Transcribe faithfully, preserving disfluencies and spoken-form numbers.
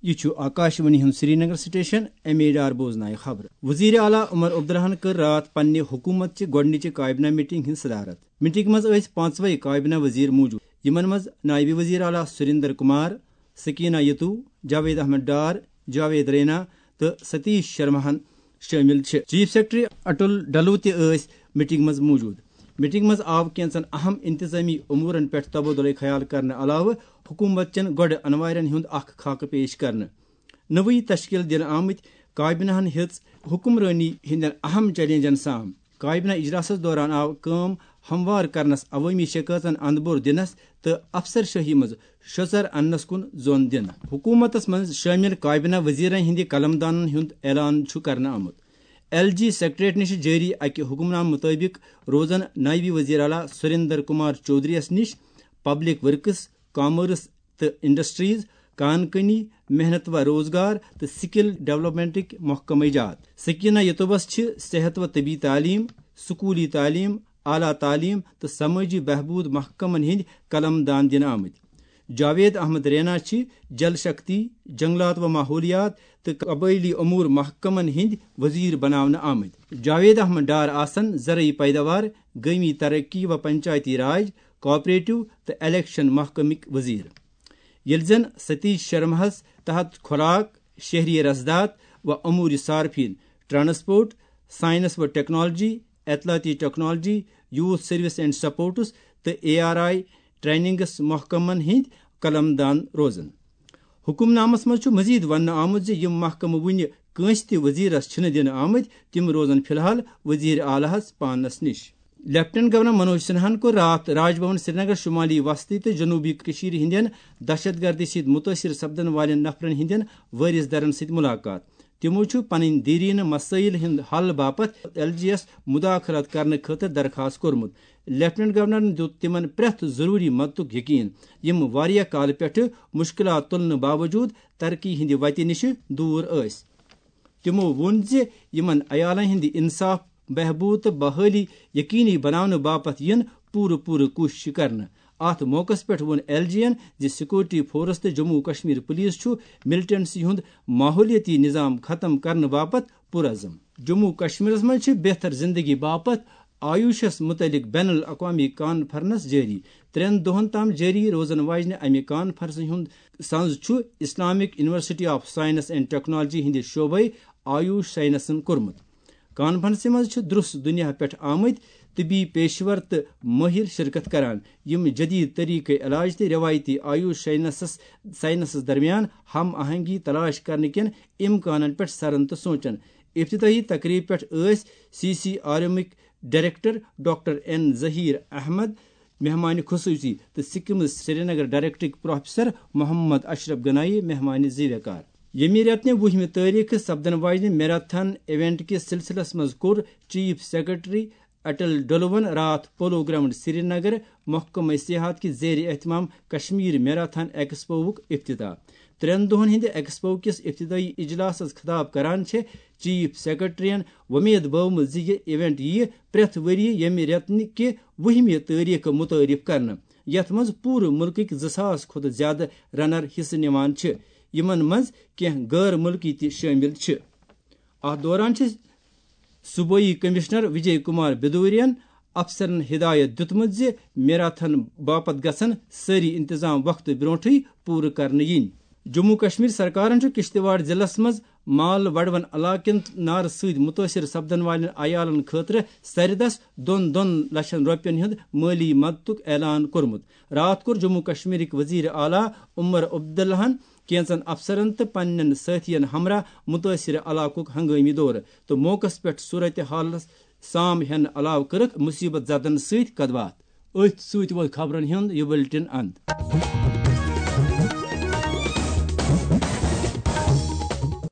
یہِ چھُ آکاشوانی ہُنٛد Srinagar station. M A Dar بوزنایہِ خبرٕ۔ وزیر اعلیٰ عمر عبداللہن کٔر راتھ پننہِ حکومت چہِ گۄڈٕنِچہِ کابینہ میٹنگ ہٕنٛز صدارت۔ میٹنگ منٛز ٲسۍ پانٛژوے کابینہ وزیر موجود، یِمن منٛز نائب وزیر اعلیٰ سریندر کمار، سکینہ یتو، جاوید احمد ڈار، جاوید رینا تہٕ ستیش شرماہن شٲمِل چھِ۔ چیف سیکرٹری اٹل ڈلو تہِ ٲسۍ میٹنگ منٛز موجود۔ میٹنگ منٛز آو کینٛژن اہم انتظامی امورن پٮ۪ٹھ تبادلہ خیال کرنہٕ علاوٕ حکومت چٮ۪ن گۄڈٕ انوارٮ۪ن ہُنٛد اکھ خاکہٕ پیش کرنہٕ۔ نٔوٕے تشکیل دِنہٕ آمٕتۍ کابینہن ہیٚژ حکمرٲنی ہٕنٛدٮ۪ن اہم چیلنجن سام۔ کابینہ اجلاسس دوران آو کٲم ہموار کرنس، عوٲمی شکایژن اندپور دِنس تہٕ افسر شٲہی منٛز شۄژر اننس کُن زون دِنہٕ۔ حکومتس منٛز شٲمِل کابینہ وزیرن ہٕنٛدِ قلم دانن ہُنٛد اعلان چھُ کرنہٕ آمُت۔ ایل جی سیکرٹریٹ نِش جٲری اکہِ حکم نامہٕ مُطٲبِق روزن نائب وزیر اعلیٰ سریندر کمار چودھری یس نِش پبلک ورکس، کامرس تہٕ انڈسٹریز، کان کٲنی، محنت و روزگار تہٕ سکل ڈیولپمنٹٕکۍ محکمہٕ جات۔ سکینہ یتوبس چھِ صحت و طبی تعلیم، سکولی تعلیم، اعلیٰ تعلیم تہٕ سمٲجی بہبود محکمن ہٕنٛدۍ قلم دان دِنہٕ آمٕتۍ۔ جاوید احمد رینا چھِ جل شکتی، جنگلات و ماحولیات تہٕ قبٲئلی امور محکمن ہٕنٛدۍ وزیر بناونہٕ آمٕتۍ۔ جاوید احمد ڈار آسن زرعی پیداوار، گٲمی ترقی و پنچایتی راج، کوآپریٹو تہٕ الیکشن محکمٕکۍ وزیر، ییٚلہِ زن ستیش شرماہس تحت خوراک، شہری رسداد و امور صارفین، ٹرانسپورٹ، سائنس و ٹیکنالوجی، اطلاعاتی technology, youth service and sports تہٕ اے آر آئی ٹریننگس محکمن ہٕنٛدۍ قلم دان روزن۔ حکم نامس منٛز چھُ مزید وننہٕ آمُت زِ یِم محکمہٕ وُنہِ کٲنٛسہِ تہِ وزیرس چھِنہٕ دِنہٕ آمٕتۍ، تِم روزن فی الحال وزیر اعلیٰ ہس پانس نِش۔ لیفٹیننٹ گورنر منوج سنہاہن کوٚر راتھ راج بھون سرینگر شمالی وسطی تہٕ جنوبی کشمیر ہٕنٛدٮ۪ن دہشت گردی سۭتۍ متٲثر سپدن والٮ۪ن نفرن ہٕنٛدٮ۪ن وٲرث درن سۭتۍ ملاقات۔ تِمو چھُ پنٕنۍ دیرینہٕ مسٲیل ہُنٛد حل باپتھ ایل جی یس مداخلت کرنہٕ خٲطرٕ درخاست کوٚرمُت۔ لیفٹیننٹ گورنرن دیُت تِمن پرٛٮ۪تھ ضروٗری مدتُک یقین، یِم واریاہ کالہٕ پٮ۪ٹھٕ مشکلات تُلنہٕ باوجود ترقی ہٕنٛدِ وتہِ نِش دوٗر ٲسۍ۔ تِمو ووٚن زِ یِمن عیالن ہٕنٛدِ انصاف، بہبود تہٕ بحٲلی یقینی بناونہٕ باپتھ یِن پوٗرٕ پوٗرٕ کوٗششہٕ کرنہٕ۔ اتھ موقعس پٮ۪ٹھ ووٚن ایل جی ین زِ سیکورٹی فورس تہٕ جموں کشمیر پولیس چھُ ملٹنٹسی ہُنٛد ماحولیٲتی نظام ختم کرنہٕ باپتھ پُرعزم۔ جموں کشمیرس منٛز چھِ بہتر زندگی باپتھ آیوشس متعلق بین الاقوامی کانفرنس جٲری۔ ترٛٮ۪ن دۄہن تام جٲری روزن واجنہِ امہِ کانفرنسہِ ہُنٛد سنز چھُ Islamic university of science and technology ہٕنٛدِ شعبے آیوش سائنسن کوٚرمُت۔ کانفرنسہِ منٛز چھِ درس دنیا پٮ۪ٹھ آمٕتۍ طبی پیشور تہٕ مٲہر شرکت کران، یِم جدید طریقہٕ علاج تہٕ روایتی آیوش سائنسس، سائنسس درمیان ہم آہنگی تلاش کرنہٕ کٮ۪ن امکانن پٮ۪ٹھ سرن تہٕ سونچن۔ افتتاحی تقریب پٮ۪ٹھ ٲسۍ سی سی آر ایمٕکۍ director doctor N Zaheer Ahmad مہمان خصوصی تہٕ سکمز سرینگر ڈائریکٹرک پروفیسر محمد اشرف گنایی مہمان زیوکار۔ ییٚمہِ رٮ۪تہٕ وُہمہِ تٲریخہٕ سپدن واجنہِ میراتھن ایونٹ کِس سلسلس منٛز کوٚر چیف سیکرٹری اٹل ڈلوَن راتھ پولو گراؤنڈ سرینگر محکمہ سیاحت کہِ زیر اہتمام کشمیر میراتھن ایکسپوُک افتتاح۔ ترٛٮ۪ن دۄہن ہٕنٛدِ ایکسپو کِس افتتاحی اجلاسس خطاب کران چھِ چیف سیکرٹریَن وۄمید بٲومٕژ زِ یہِ ایونٹ یِیہِ پرٛٮ۪تھ ؤرۍ یہِ ییٚمہِ رٮ۪تہٕ کہِ وُہمہِ تٲریخہٕ متعارف کرنہٕ، یتھ منٛز پوٗرٕ مُلکٕکۍ زٕ ساس کھۄتہٕ زیادٕ رنر حصہٕ نِوان چھِ، یِمن منٛز کینٛہہ غٲر مُلکی تہِ شٲمِل چھِ۔ اتھ دوران چھِ صوبٲئی کمشنر وجے کمار بدورین افسرن ہدایت دِیُتمُت زِ میراتھن باپتھ گژھن سٲری انتظام وقتہٕ برونٹھٕے پوٗرٕ کرنہٕ یِنۍ۔ جموں کشمیر سرکارن چھُ کشتواڑ ضلعس منٛز مال وڈوَن علاقن نارٕ سۭتۍ مُتٲثِر سپدن والٮ۪ن عیالن خٲطرٕ سرِ دَس دۄن دۄن لچھن رۄپین ہُنٛد مٲلی مدتُک اعلان کوٚرمُت۔ راتھ کوٚر جموں کشمیرٕکۍ وزیر اعلیٰ عمر عبداللہن کینژن افسرن تہٕ پننٮ۪ن سٲتھین ہمراہ مُتٲثِر علاقُک ہنگٲمی دورٕ تہٕ موقعس پٮ۪ٹھ صورت حالس سام ہٮ۪نہٕ علاوٕ کٔرٕکھ مُصیبت زدن سۭتۍ کتھ باتھ۔ أتھۍ سۭتۍ ووت خبرن ہُنٛد یہِ بُلٹن اند۔